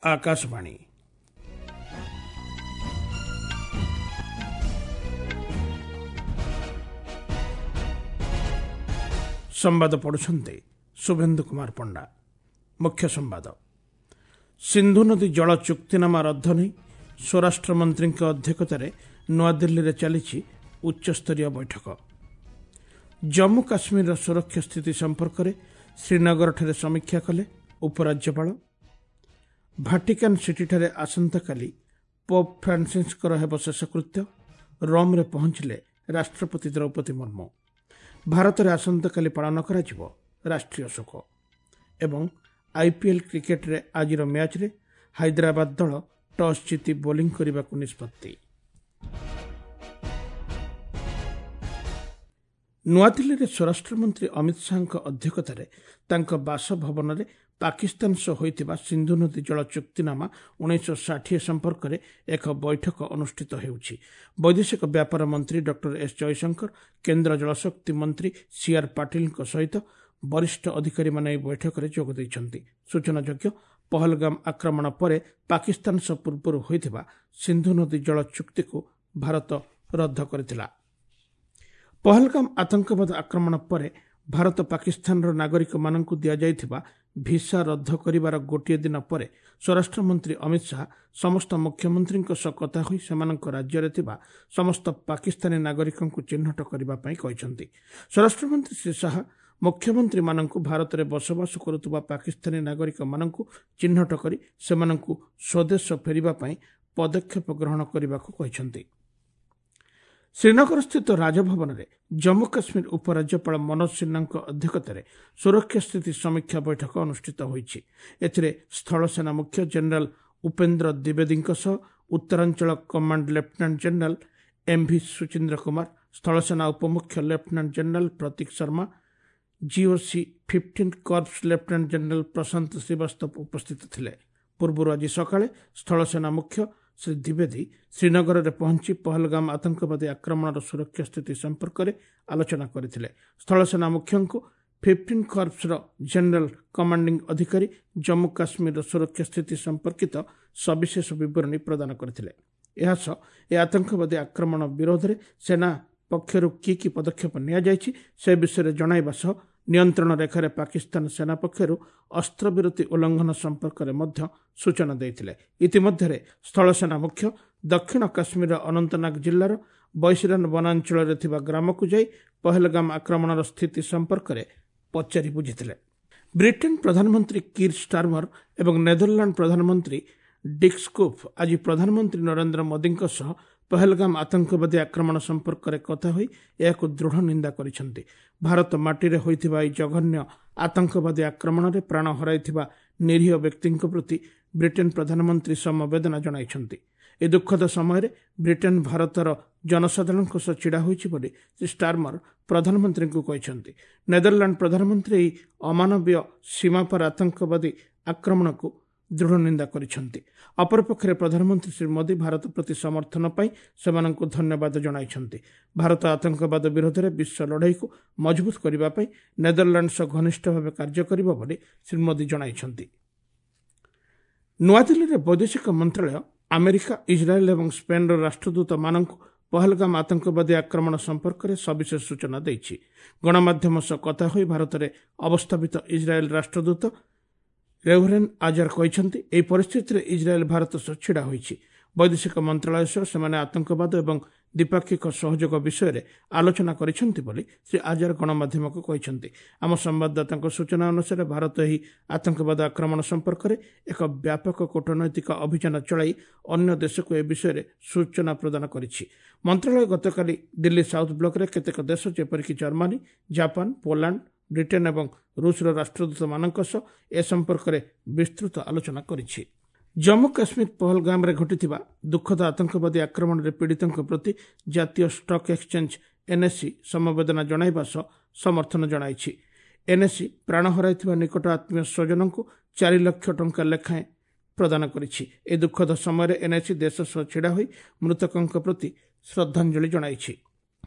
ଆକାଶବାଣୀ। ସମ୍ବାଦ ପଢ଼ୁଛନ୍ତି ଶୁଭେନ୍ଦୁ କୁମାର ପଣ୍ଡା। ମୁଖ୍ୟ ସମ୍ବାଦ। ସିନ୍ଧୁ ନଦୀ ଜଳ ଚୁକ୍ତିନାମା ରଦ୍ଦ ନେଇ ସ୍ୱରାଷ୍ଟ୍ରମନ୍ତ୍ରୀଙ୍କ ଅଧ୍ୟକ୍ଷତାରେ ନୂଆଦିଲ୍ଲୀରେ ଚାଲିଛି ଉଚ୍ଚସ୍ତରୀୟ ବୈଠକ। ଜମ୍ମୁ କାଶ୍ମୀରର ସୁରକ୍ଷା ସ୍ଥିତି ସମ୍ପର୍କରେ ଶ୍ରୀନଗରଠାରେ ସମୀକ୍ଷା କଲେ ଉପରାଜ୍ୟପାଳ। ଭାଟିକାନ୍ ସିଟିଠାରେ ଆସନ୍ତାକାଲି ପୋପ୍ ଫ୍ରାନ୍ସିସ୍ଙ୍କର ହେବ ଶେଷକୃତ୍ୟ। ରୋମ୍ରେ ପହଞ୍ଚିଲେ ରାଷ୍ଟ୍ରପତି ଦ୍ରୌପଦୀ ମୁର୍ମୁ। ଭାରତରେ ଆସନ୍ତାକାଲି ପାଳନ କରାଯିବ ରାଷ୍ଟ୍ରୀୟ ଶୋକ। ଏବଂ ଆଇପିଏଲ୍ କ୍ରିକେଟରେ ଆଜିର ମ୍ୟାଚ୍ରେ ହାଇଦ୍ରାବାଦ ଦଳ ଟସ୍ ଜିତି ବୋଲିଂ କରିବାକୁ ନିଷ୍ପତ୍ତି। ନୂଆଦିଲ୍ଲୀରେ ସ୍ୱରାଷ୍ଟ୍ରମନ୍ତ୍ରୀ ଅମିତ ଶାହାଙ୍କ ଅଧ୍ୟକ୍ଷତାରେ ତାଙ୍କ ବାସଭବନରେ ପାକିସ୍ତାନ ସହ ହୋଇଥିବା ସିନ୍ଧୁ ନଦୀ ଜଳ ଚୁକ୍ତିନାମା 1960 ସମ୍ପର୍କରେ ଏକ ବୈଠକ ଅନୁଷ୍ଠିତ ହେଉଛି। ବୈଦେଶିକ ବ୍ୟାପାର ମନ୍ତ୍ରୀ ଡକ୍ଟର ଏସ୍ ଜୟଶଙ୍କର, କେନ୍ଦ୍ର ଜଳଶକ୍ତି ମନ୍ତ୍ରୀ ସିଆର୍ ପାଟିଲଙ୍କ ସହିତ ବରିଷ୍ଠ ଅଧିକାରୀମାନେ ଏହି ବୈଠକରେ ଯୋଗ ଦେଇଛନ୍ତି। ସୂଚନାଯୋଗ୍ୟ, ପହଲଗାମ ଆକ୍ରମଣ ପରେ ପାକିସ୍ତାନ ସହ ପୂର୍ବରୁ ହୋଇଥିବା ସିନ୍ଧୁ ନଦୀ ଜଳ ଚୁକ୍ତିକୁ ଭାରତ ରଦ୍ଦ କରିଥିଲା। ପହଲଗାମ ଆତଙ୍କବାଦ ଆକ୍ରମଣ ପରେ ଭାରତ ପାକିସ୍ତାନର ନାଗରିକମାନଙ୍କୁ ଦିଆଯାଇଥିବା ଭିସା ରଦ୍ଦ କରିବାର ଗୋଟିଏ ଦିନ ପରେ ସ୍ୱରାଷ୍ଟ୍ରମନ୍ତ୍ରୀ ଅମିତ ଶାହା ସମସ୍ତ ମୁଖ୍ୟମନ୍ତ୍ରୀଙ୍କ ସହ କଥା ହୋଇ ସେମାନଙ୍କ ରାଜ୍ୟରେ ଥିବା ସମସ୍ତ ପାକିସ୍ତାନୀ ନାଗରିକଙ୍କୁ ଚିହ୍ନଟ କରିବା ପାଇଁ କହିଛନ୍ତି। ସ୍ୱରାଷ୍ଟ୍ରମନ୍ତ୍ରୀ ଶ୍ରୀ ଶାହା ମୁଖ୍ୟମନ୍ତ୍ରୀମାନଙ୍କୁ ଭାରତରେ ବସବାସ କରୁଥିବା ପାକିସ୍ତାନୀ ନାଗରିକମାନଙ୍କୁ ଚିହ୍ନଟ କରି ସେମାନଙ୍କୁ ସ୍ୱଦେଶ ଫେରିବା ପାଇଁ ପଦକ୍ଷେପ ଗ୍ରହଣ କରିବାକୁ କହିଛନ୍ତି। ଶ୍ରୀନଗରସ୍ଥିତ ରାଜଭବନରେ ଜମ୍ମୁ କାଶ୍ମୀର ଉପରାଜ୍ୟପାଳ ମନୋଜ ସିହ୍ନାଙ୍କ ଅଧ୍ୟକ୍ଷତାରେ ସୁରକ୍ଷା ସ୍ଥିତି ସମୀକ୍ଷା ବୈଠକ ଅନୁଷ୍ଠିତ ହୋଇଛି। ଏଥିରେ ସ୍ଥଳସେନା ମୁଖ୍ୟ ଜେନେରାଲ ଉପେନ୍ଦ୍ର ଦ୍ୱିବେଦୀଙ୍କ ସହ ଉତ୍ତରାଞ୍ଚଳ command lieutenant general MV Suchindra Kumar, ସ୍ଥଳସେନା ଉପମୁଖ୍ୟ lieutenant general Prateek Sharma, GOC 15 corps lieutenant general Prashant Srivastava ଉପସ୍ଥିତ ଥିଲେ। ପୂର୍ବରୁ ଆଜି ସକାଳେ ସ୍ଥଳସେନା ମୁଖ୍ୟ ଶ୍ରୀ ଦ୍ୱିବେଦୀ ଶ୍ରୀନଗରରେ ପହଞ୍ଚି ପହଲଗାମ ଆତଙ୍କବାଦୀ ଆକ୍ରମଣର ସୁରକ୍ଷା ସ୍ଥିତି ସମ୍ପର୍କରେ ଆଲୋଚନା କରିଥିଲେ। ସ୍ଥଳସେନା ମୁଖ୍ୟଙ୍କୁ 15 କର୍ପସର ଜେନେରାଲ କମାଣ୍ଡିଂ ଅଧିକାରୀ ଜମ୍ମୁ କାଶ୍ମୀରର ସୁରକ୍ଷା ସ୍ଥିତି ସମ୍ପର୍କିତ ସବିଶେଷ ବିବରଣୀ ପ୍ରଦାନ କରିଥିଲେ। ଏହାସହ ଏ ଆତଙ୍କବାଦୀ ଆକ୍ରମଣ ବିରୋଧରେ ସେନା ପକ୍ଷରୁ କି କି ପଦକ୍ଷେପ ନିଆଯାଇଛି ସେ ବିଷୟରେ ଜଣାଇବା ସହ ନିୟନ୍ତ୍ରଣ ରେଖାରେ ପାକିସ୍ତାନ ସେନା ପକ୍ଷରୁ ଅସ୍ତ୍ରବିରତି ଉଲ୍ଲଂଘନ ସମ୍ପର୍କରେ ମଧ୍ୟ ସୂଚନା ଦେଇଥିଲେ। ଇତିମଧ୍ୟରେ ସ୍ଥଳସେନା ମୁଖ୍ୟ ଦକ୍ଷିଣ କାଶ୍ମୀରର ଅନନ୍ତନାଗ ଜିଲ୍ଲାର ବୈଶିରାନ ବନାଞ୍ଚଳରେ ଥିବା ଗ୍ରାମକୁ ଯାଇ ପହଲଗାମ ଆକ୍ରମଣର ସ୍ଥିତି ସମ୍ପର୍କରେ ପଚାରି ବୁଝିଥିଲେ। ବ୍ରିଟେନ୍ ପ୍ରଧାନମନ୍ତ୍ରୀ କିର୍ ଷ୍ଟାରମର ଏବଂ ନେଦରଲାଣ୍ଡ ପ୍ରଧାନମନ୍ତ୍ରୀ ଡିକ୍ ସ୍କୁପ୍ ଆଜି ପ୍ରଧାନମନ୍ତ୍ରୀ ନରେନ୍ଦ୍ର ମୋଦିଙ୍କ ସହ ପହଲଗାମ ଆତଙ୍କବାଦୀ ଆକ୍ରମଣ ସମ୍ପର୍କରେ କଥା ହୋଇ ଏହାକୁ ଦୃଢ଼ ନିନ୍ଦା କରିଛନ୍ତି। ଭାରତ ମାଟିରେ ହୋଇଥିବା ଏହି ଜଘନ୍ୟ ଆତଙ୍କବାଦୀ ଆକ୍ରମଣରେ ପ୍ରାଣ ହରାଇଥିବା ନିରୀହ ବ୍ୟକ୍ତିଙ୍କ ପ୍ରତି ବ୍ରିଟେନ୍ ପ୍ରଧାନମନ୍ତ୍ରୀ ସମବେଦନା ଜଣାଇଛନ୍ତି। ଏ ଦୁଃଖଦ ସମୟରେ ବ୍ରିଟେନ୍ ଭାରତର ଜନସାଧାରଣଙ୍କ ସହ ଛିଡ଼ା ହୋଇଛି ବୋଲି ଶ୍ରୀ ଷ୍ଟାରମର ପ୍ରଧାନମନ୍ତ୍ରୀଙ୍କୁ କହିଛନ୍ତି। ନେଦରଲାଣ୍ଡ ପ୍ରଧାନମନ୍ତ୍ରୀ ଏହି ଅମାନବୀୟ ସୀମାପାର ଆତଙ୍କବାଦୀ ଆକ୍ରମଣକୁ ଦୃଢ଼ ନିନ୍ଦା କରିଛନ୍ତି। ଅପରପକ୍ଷରେ ପ୍ରଧାନମନ୍ତ୍ରୀ ଶ୍ରୀ ମୋଦି ଭାରତ ପ୍ରତି ସମର୍ଥନ ପାଇଁ ସେମାନଙ୍କୁ ଧନ୍ୟବାଦ ଜଣାଇଛନ୍ତି। ଭାରତ ଆତଙ୍କବାଦ ବିରୋଧରେ ବିଶ୍ୱ ଲଢ଼େଇକୁ ମଜବୁତ କରିବା ପାଇଁ ନେଦରଲାଣ୍ଡ ସହ ଘନିଷ୍ଠ ଭାବେ କାର୍ଯ୍ୟ କରିବ ବୋଲି ଶ୍ରୀ ମୋଦି ଜଣାଇଛନ୍ତି। ନୂଆଦିଲ୍ଲୀରେ ବୈଦେଶିକ ମନ୍ତ୍ରଣାଳୟ ଆମେରିକା, ଇସ୍ରାଏଲ୍ ଏବଂ ସ୍ପେନ୍ର ରାଷ୍ଟ୍ରଦୂତମାନଙ୍କୁ ପହଲଗାମ ଆତଙ୍କବାଦୀ ଆକ୍ରମଣ ସମ୍ପର୍କରେ ସବିଶେଷ ସୂଚନା ଦେଇଛି। ଗଣମାଧ୍ୟମ ସହ କଥା ହୋଇ ଭାରତରେ ଅବସ୍ଥାପିତ ଇସ୍ରାଏଲ୍ ରାଷ୍ଟ୍ରଦୂତ ରେଭରେନ୍ ଆଜାର କହିଛନ୍ତି, ଏହି ପରିସ୍ଥିତିରେ ଇସ୍ରାଏଲ୍ ଭାରତ ସହ ଛିଡ଼ା ହୋଇଛି। ବୈଦେଶିକ ମନ୍ତ୍ରଣାଳୟ ସହ ସେମାନେ ଆତଙ୍କବାଦ ଏବଂ ଦ୍ୱିପାକ୍ଷିକ ସହଯୋଗ ବିଷୟରେ ଆଲୋଚନା କରିଛନ୍ତି ବୋଲି ଶ୍ରୀ ଆଜାର ଗଣମାଧ୍ୟମକୁ କହିଛନ୍ତି। ଆମ ସମ୍ବାଦଦାତାଙ୍କ ସୂଚନା ଅନୁସାରେ ଭାରତ ଏହି ଆତଙ୍କବାଦ ଆକ୍ରମଣ ସମ୍ପର୍କରେ ଏକ ବ୍ୟାପକ କୂଟନୈତିକ ଅଭିଯାନ ଚଳାଇ ଅନ୍ୟ ଦେଶକୁ ଏ ବିଷୟରେ ସୂଚନା ପ୍ରଦାନ କରିଛି। ମନ୍ତ୍ରଣାଳୟ ଗତକାଲି ଦିଲ୍ଲୀ ସାଉଥ୍ ବ୍ଲକରେ କେତେକ ଦେଶ ଯେପରିକି ଜର୍ମାନୀ, ଜାପାନ, ପୋଲାଣ୍ଡ, ବ୍ରିଟେନ୍ ଏବଂ ରୁଷର ରାଷ୍ଟ୍ରଦୂତମାନଙ୍କ ସହ ଏ ସମ୍ପର୍କରେ ବିସ୍ତୃତ ଆଲୋଚନା କରିଛି। ଜମ୍ମୁ କାଶ୍ମୀର ପହଲଗାମରେ ଘଟିଥିବା ଦୁଃଖଦ ଆତଙ୍କବାଦୀ ଆକ୍ରମଣରେ ପୀଡ଼ିତଙ୍କ ପ୍ରତି ଜାତୀୟ ଷ୍ଟକ୍ ଏକ୍ସଚେଞ୍ଜ ଏନ୍ଏସ୍ଇ ସମବେଦନା ଜଣାଇବା ସହ ସମର୍ଥନ ଜଣାଇଛି। ଏନ୍ଏସ୍ଇ ପ୍ରାଣ ହରାଇଥିବା ନିକଟ ଆତ୍ମୀୟ ସ୍ୱଜନଙ୍କୁ 4 ଲକ୍ଷ ଟଙ୍କା ଲେଖାଏଁ ପ୍ରଦାନ କରିଛି। ଏ ଦୁଃଖଦ ସମୟରେ ଏନ୍ଏସ୍ଇ ଦେଶ ସହ ଛିଡ଼ା ହୋଇ ମୃତକଙ୍କ ପ୍ରତି ଶ୍ରଦ୍ଧାଞ୍ଜଳି ଜଣାଇଛି।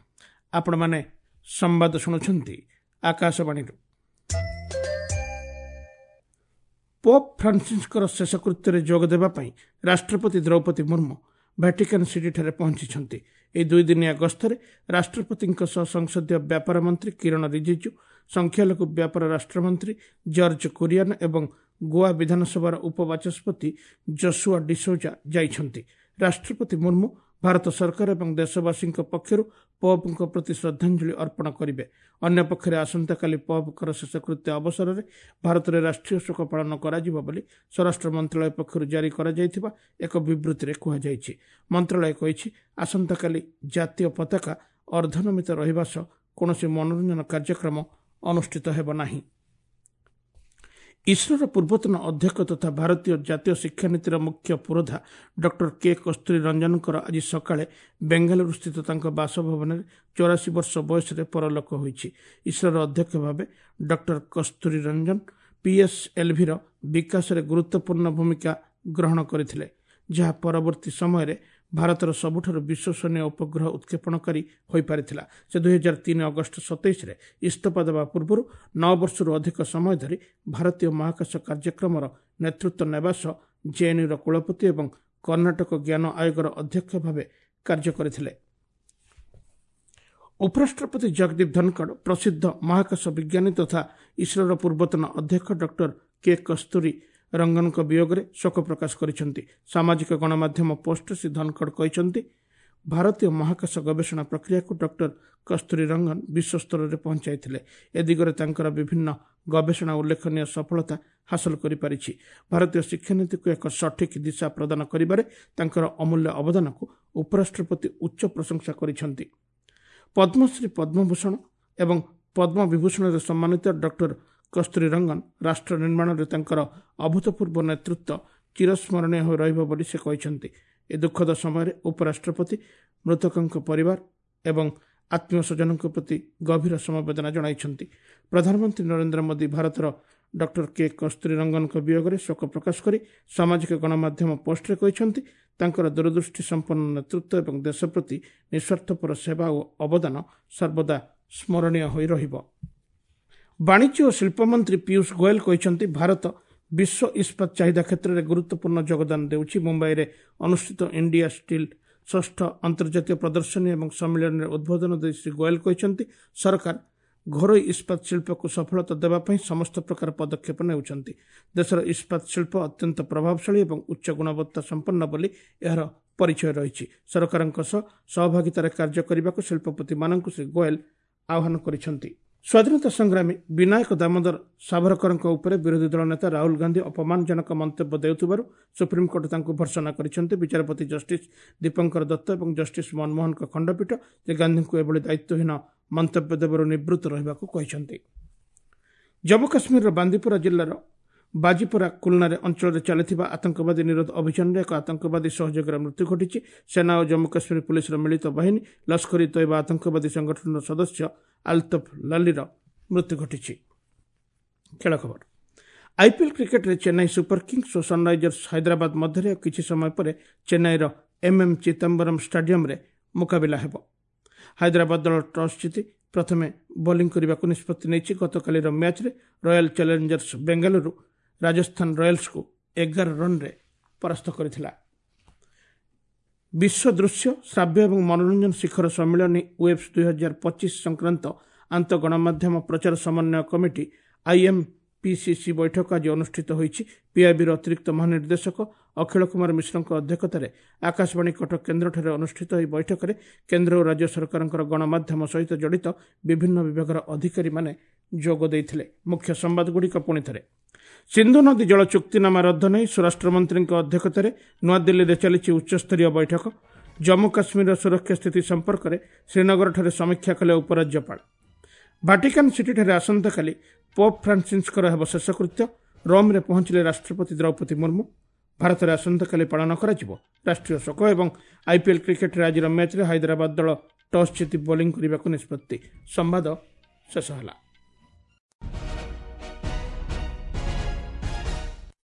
ଆପଣମାନେ ସମ୍ବାଦ ଶୁଣୁଛନ୍ତି ଆକାଶବାଣୀରୁ। ପୋପ୍ ଫ୍ରାନ୍ସିସ୍ଙ୍କର ଶେଷକୃତ୍ୟରେ ଯୋଗ ଦେବା ପାଇଁ ରାଷ୍ଟ୍ରପତି ଦ୍ରୌପଦୀ ମୁର୍ମୁ ଭ୍ୟାଟିକାନ୍ ସିଟିଠାରେ ପହଞ୍ଚିଛନ୍ତି। ଏହି ଦୁଇଦିନିଆ ଗସ୍ତରେ ରାଷ୍ଟ୍ରପତିଙ୍କ ସହ ସଂସଦୀୟ ବ୍ୟାପାର ମନ୍ତ୍ରୀ କିରଣ ରିଜିଜୁ, ସଂଖ୍ୟାଲଘୁ ବ୍ୟାପାର ରାଷ୍ଟ୍ରମନ୍ତ୍ରୀ ଜର୍ଜ କୁରିଆନ ଏବଂ ଗୋଆ ବିଧାନସଭାର ଉପବାଚସ୍ପତି ଜସୁଆ ଡିସୋଜା ଯାଇଛନ୍ତି। ରାଷ୍ଟ୍ରପତି ମୁର୍ମୁ ଭାରତ ସରକାର ଏବଂ ଦେଶବାସୀଙ୍କ ପକ୍ଷରୁ ପୋପ୍ଙ୍କ ପ୍ରତି ଶ୍ରଦ୍ଧାଞ୍ଜଳି ଅର୍ପଣ କରିବେ। ଅନ୍ୟପକ୍ଷରେ ଆସନ୍ତାକାଲି ପୋପ୍ଙ୍କର ଶେଷକୃତ୍ୟ ଅବସରରେ ଭାରତରେ ରାଷ୍ଟ୍ରୀୟ ଶୋକ ପାଳନ କରାଯିବ ବୋଲି ସ୍ୱରାଷ୍ଟ୍ର ମନ୍ତ୍ରଣାଳୟ ପକ୍ଷରୁ ଜାରି କରାଯାଇଥିବା ଏକ ବିବୃତ୍ତିରେ କୁହାଯାଇଛି। ମନ୍ତ୍ରଣାଳୟ କହିଛି, ଆସନ୍ତାକାଲି ଜାତୀୟ ପତାକା ଅର୍ଦ୍ଧନମିତ ରହିବା ସହ କୌଣସି ମନୋରଞ୍ଜନ କାର୍ଯ୍ୟକ୍ରମ ଅନୁଷ୍ଠିତ ହେବ ନାହିଁ। ଇସ୍ରୋର ପୂର୍ବତନ ଅଧ୍ୟକ୍ଷ ତଥା ଭାରତୀୟ ଜାତୀୟ ଶିକ୍ଷାନୀତିର ମୁଖ୍ୟ ପୁରୋଧା ଡକ୍ଟର କେ କସ୍ତୁରୀ ରଞ୍ଜନଙ୍କର ଆଜି ସକାଳେ ବେଙ୍ଗାଲୁରୁସ୍ଥିତ ତାଙ୍କ ବାସଭବନରେ 84 ବର୍ଷ ବୟସରେ ପରଲୋକ ହୋଇଛି। ଇସ୍ରୋର ଅଧ୍ୟକ୍ଷ ଭାବେ ଡକ୍ଟର କସ୍ତୁରୀ ରଞ୍ଜନ ପିଏସ୍ଏଲ୍ଭିର ବିକାଶରେ ଗୁରୁତ୍ୱପୂର୍ଣ୍ଣ ଭୂମିକା ଗ୍ରହଣ କରିଥିଲେ, ଯାହା ପରବର୍ତ୍ତୀ ସମୟରେ ଭାରତର ସବୁଠାରୁ ବିଶ୍ୱସନୀୟ ଉପଗ୍ରହ ଉତ୍କ୍ଷେପଣକାରୀ ହୋଇପାରିଥିଲା। ସେ 2003 ଅଗଷ୍ଟ 27ରେ ଇସ୍ତଫା ଦେବା ପୂର୍ବରୁ 9 ବର୍ଷରୁ ଅଧିକ ସମୟ ଧରି ଭାରତୀୟ ମହାକାଶ କାର୍ଯ୍ୟକ୍ରମର ନେତୃତ୍ୱ ନେବା ସହ ଜେଏନ୍ୟୁର କୁଳପତି ଏବଂ କର୍ଣ୍ଣାଟକ ଜ୍ଞାନ ଆୟୋଗର ଅଧ୍ୟକ୍ଷ ଭାବେ କାର୍ଯ୍ୟ କରିଥିଲେ। ଉପରାଷ୍ଟ୍ରପତି ଜଗଦୀପ ଧନଖଡ଼ ପ୍ରସିଦ୍ଧ ମହାକାଶ ବିଜ୍ଞାନୀ ତଥା ଇସ୍ରୋର ପୂର୍ବତନ ଅଧ୍ୟକ୍ଷ ଡକ୍ଟର କେ କସ୍ତୁରୀ ରଙ୍ଗନଙ୍କ ବିୟୋଗରେ ଶୋକ ପ୍ରକାଶ କରିଛନ୍ତି। ସାମାଜିକ ଗଣମାଧ୍ୟମ ପୋଷ୍ଟରେ ଶ୍ରୀ ଧନଖଡ଼ କହିଛନ୍ତି, ଭାରତୀୟ ମହାକାଶ ଗବେଷଣା ପ୍ରକ୍ରିୟାକୁ ଡକ୍ଟର କସ୍ତୁରୀ ରଙ୍ଗନ ବିଶ୍ୱସ୍ତରରେ ପହଞ୍ଚାଇଥିଲେ। ଏ ଦିଗରେ ତାଙ୍କର ବିଭିନ୍ନ ଗବେଷଣା ଉଲ୍ଲେଖନୀୟ ସଫଳତା ହାସଲ କରିପାରିଛି। ଭାରତୀୟ ଶିକ୍ଷାନୀତିକୁ ଏକ ସଠିକ୍ ଦିଶା ପ୍ରଦାନ କରିବାରେ ତାଙ୍କର ଅମୂଲ୍ୟ ଅବଦାନକୁ ଉପରାଷ୍ଟ୍ରପତି ଉଚ୍ଚ ପ୍ରଶଂସା କରିଛନ୍ତି। ପଦ୍ମଶ୍ରୀ, ପଦ୍ମଭୂଷଣ ଏବଂ ପଦ୍ମବିଭୂଷଣରେ ସମ୍ମାନିତ ଡକ୍ଟର କସ୍ତୁରୀ ରଙ୍ଗନ ରାଷ୍ଟ୍ର ନିର୍ମାଣରେ ତାଙ୍କର ଅଭୂତପୂର୍ବ ନେତୃତ୍ୱ ଚିରସ୍ମରଣୀୟ ହୋଇ ରହିବ ବୋଲି ସେ କହିଛନ୍ତି। ଏ ଦୁଃଖଦ ସମୟରେ ଉପରାଷ୍ଟ୍ରପତି ମୃତକଙ୍କ ପରିବାର ଏବଂ ଆତ୍ମୀୟ ସ୍ୱଜନଙ୍କ ପ୍ରତି ଗଭୀର ସମବେଦନା ଜଣାଇଛନ୍ତି। ପ୍ରଧାନମନ୍ତ୍ରୀ ନରେନ୍ଦ୍ର ମୋଦି ଭାରତର ଡକ୍ଟର କେ କସ୍ତୁରୀ ରଙ୍ଗନଙ୍କ ବିୟୋଗରେ ଶୋକ ପ୍ରକାଶ କରି ସାମାଜିକ ଗଣମାଧ୍ୟମ ପୋଷ୍ଟରେ କହିଛନ୍ତି, ତାଙ୍କର ଦୂରଦୃଷ୍ଟି ସମ୍ପନ୍ନ ନେତୃତ୍ୱ ଏବଂ ଦେଶ ପ୍ରତି ନିଃସ୍ୱାର୍ଥପର ସେବା ଓ ଅବଦାନ ସର୍ବଦା ସ୍ମରଣୀୟ ହୋଇ ରହିବ। ବାଣିଜ୍ୟ ଓ ଶିଳ୍ପମନ୍ତ୍ରୀ ପୀୟୁଷ ଗୋଏଲ କହିଛନ୍ତି, ଭାରତ ବିଶ୍ୱ ଇସ୍ପାତ ଚାହିଦା କ୍ଷେତ୍ରରେ ଗୁରୁତ୍ୱପୂର୍ଣ୍ଣ ଯୋଗଦାନ ଦେଉଛି। ମୁମ୍ବାଇରେ ଅନୁଷ୍ଠିତ ଇଣ୍ଡିଆ ଷ୍ଟିଲ୍ ଷଷ୍ଠ ଅନ୍ତର୍ଜାତୀୟ ପ୍ରଦର୍ଶନୀ ଏବଂ ସମ୍ମିଳନୀରେ ଉଦ୍ବୋଧନ ଦେଇ ଶ୍ରୀ ଗୋଏଲ କହିଛନ୍ତି, ସରକାର ଘରୋଇ ଇସ୍ପାତ ଶିଳ୍ପକୁ ସଫଳତା ଦେବା ପାଇଁ ସମସ୍ତ ପ୍ରକାର ପଦକ୍ଷେପ ନେଉଛନ୍ତି। ଦେଶର ଇସ୍ପାତ ଶିଳ୍ପ ଅତ୍ୟନ୍ତ ପ୍ରଭାବଶାଳୀ ଏବଂ ଉଚ୍ଚ ଗୁଣବତ୍ତା ସମ୍ପନ୍ନ ବୋଲି ଏହାର ପରିଚୟ ରହିଛି। ସରକାରଙ୍କ ସହ ସହଭାଗିତାରେ କାର୍ଯ୍ୟ କରିବାକୁ ଶିଳ୍ପପତିମାନଙ୍କୁ ଶ୍ରୀ ଗୋଏଲ ଆହ୍ୱାନ କରିଛନ୍ତି। ସ୍ୱାଧୀନତା ସଂଗ୍ରାମୀ ବିନାୟକ ଦାମୋଦର ସାଭରକରଙ୍କ ଉପରେ ବିରୋଧୀ ଦଳ ନେତା ରାହୁଲ ଗାନ୍ଧୀ ଅପମାନଜନକ ମନ୍ତବ୍ୟ ଦେଉଥିବାରୁ ସୁପ୍ରିମକୋର୍ଟ ତାଙ୍କୁ ଭର୍ତ୍ସନା କରିଛନ୍ତି। ବିଚାରପତି ଜଷ୍ଟିସ୍ ଦୀପଙ୍କର ଦତ୍ତ ଏବଂ ଜଷ୍ଟିସ୍ ମନମୋହନଙ୍କ ଖଣ୍ଡପୀଠ ଶ୍ରୀ ଗାନ୍ଧୀଙ୍କୁ ଏଭଳି ଦାୟିତ୍ୱହୀନ ମନ୍ତବ୍ୟ ଦେବାରୁ ନିବୃତ୍ତ ରହିବାକୁ କହିଛନ୍ତି। ଜମ୍ମୁ କାଶ୍ମୀରର ବାନ୍ଦିପୁରା ଜିଲ୍ଲାର ବାଜିପୋରା କୁଲନାରେ ଅଞ୍ଚଳରେ ଚାଲିଥିବା ଆତଙ୍କବାଦୀ ନିରୋଧ ଅଭିଯାନରେ ଏକ ଆତଙ୍କବାଦୀ ସହଯୋଗୀର ମୃତ୍ୟୁ ଘଟିଛି। ସେନା ଓ ଜମ୍ମୁ କାଶ୍ମୀର ପୁଲିସର ମିଳିତ ବାହିନୀ ଲସ୍କର ଇ ତୋଇବା ଆତଙ୍କବାଦୀ ସଂଗଠନର ସଦସ୍ୟ ଆଲତଫ ଲାଲିର ମୃତ୍ୟୁ ଘଟିଛି। ଖେଳ ଖବର, ଆଇପିଏଲ୍ କ୍ରିକେଟରେ ଚେନ୍ନାଇ ସୁପର କିଙ୍ଗସ୍ ଓ ସନ୍ରାଇଜର୍ସ ହାଇଦ୍ରାବାଦ ମଧ୍ୟରେ ଆଉ କିଛି ସମୟ ପରେ ଚେନ୍ନାଇର ଏମ୍ଏମ୍ ଚିଦାମ୍ବରମ୍ ଷ୍ଟାଡିୟମରେ ମୁକାବିଲା ହେବ। ହାଇଦ୍ରାବାଦ ଦଳ ଟସ୍ ଜିତି ପ୍ରଥମେ ବୋଲିଂ କରିବାକୁ ନିଷ୍ପତ୍ତି ନେଇଛି। ଗତକାଲିର ମ୍ୟାଚ୍ରେ ରୟାଲ ଚ୍ୟାଲେଞ୍ଜର୍ସ ବେଙ୍ଗାଲୁରୁ ରାଜସ୍ଥାନ ରୟାଲ୍ସକୁ 11 ରନ୍ରେ ପରାସ୍ତ କରିଥିଲା। ବିଶ୍ୱ ଦୃଶ୍ୟ, ଶ୍ରାବ୍ୟ ଏବଂ ମନୋରଞ୍ଜନ ଶିଖର ସମ୍ମିଳନୀ ୱେବ୍ସ 2025 ସଂକ୍ରାନ୍ତ ଆନ୍ତଃ ଗଣମାଧ୍ୟମ ପ୍ରଚାର ସମନ୍ୱୟ କମିଟି ଆଇଏମ୍ପିସିସି ବୈଠକ ଆଜି ଅନୁଷ୍ଠିତ ହୋଇଛି। ପିଆଇବିର ଅତିରିକ୍ତ ମହାନିର୍ଦ୍ଦେଶକ ଅଖିଳ କୁମାର ମିଶ୍ରଙ୍କ ଅଧ୍ୟକ୍ଷତାରେ ଆକାଶବାଣୀ କଟକ କେନ୍ଦ୍ରଠାରେ ଅନୁଷ୍ଠିତ ଏହି ବୈଠକରେ କେନ୍ଦ୍ର ଓ ରାଜ୍ୟ ସରକାରଙ୍କର ଗଣମାଧ୍ୟମ ସହିତ ଜଡ଼ିତ ବିଭିନ୍ନ ବିଭାଗର ଅଧିକାରୀମାନେ ଯୋଗ ଦେଇଥିଲେ। ମୁଖ୍ୟ ସମ୍ବାଦଗୁଡ଼ିକ ପୁଣି ଥରେ। ସିନ୍ଧୁ ନଦୀ ଜଳ ଚୁକ୍ତିନାମା ରଦ୍ଦ ନେଇ ସ୍ୱରାଷ୍ଟ୍ରମନ୍ତ୍ରୀଙ୍କ ଅଧ୍ୟକ୍ଷତାରେ ନୂଆଦିଲ୍ଲୀରେ ଚାଲିଛି ଉଚ୍ଚସ୍ତରୀୟ ବୈଠକ। ଜମ୍ମୁ କାଶ୍ମୀରର ସୁରକ୍ଷା ସ୍ଥିତି ସମ୍ପର୍କରେ ଶ୍ରୀନଗରଠାରେ ସମୀକ୍ଷା କଲେ ଉପରାଜ୍ୟପାଳ। ଭାଟିକାନ୍ ସିଟିଠାରେ ଆସନ୍ତାକାଲି ପୋପ୍ ଫ୍ରାନ୍ସିସ୍ଙ୍କର ହେବ ଶେଷକୃତ୍ୟ। ରୋମ୍ରେ ପହଞ୍ଚିଲେ ରାଷ୍ଟ୍ରପତି ଦ୍ରୌପଦୀ ମୁର୍ମୁ। ଭାରତରେ ଆସନ୍ତାକାଲି ପାଳନ କରାଯିବ ରାଷ୍ଟ୍ରୀୟ ଶୋକ। ଏବଂ ଆଇପିଏଲ୍ କ୍ରିକେଟରେ ଆଜିର ମ୍ୟାଚ୍ରେ ହାଇଦ୍ରାବାଦ ଦଳ ଟସ୍ ଜିତି ବୋଲିଂ କରିବାକୁ ନିଷ୍ପତ୍ତି। ସମ୍ବାଦ ଶେଷ ହେଲା।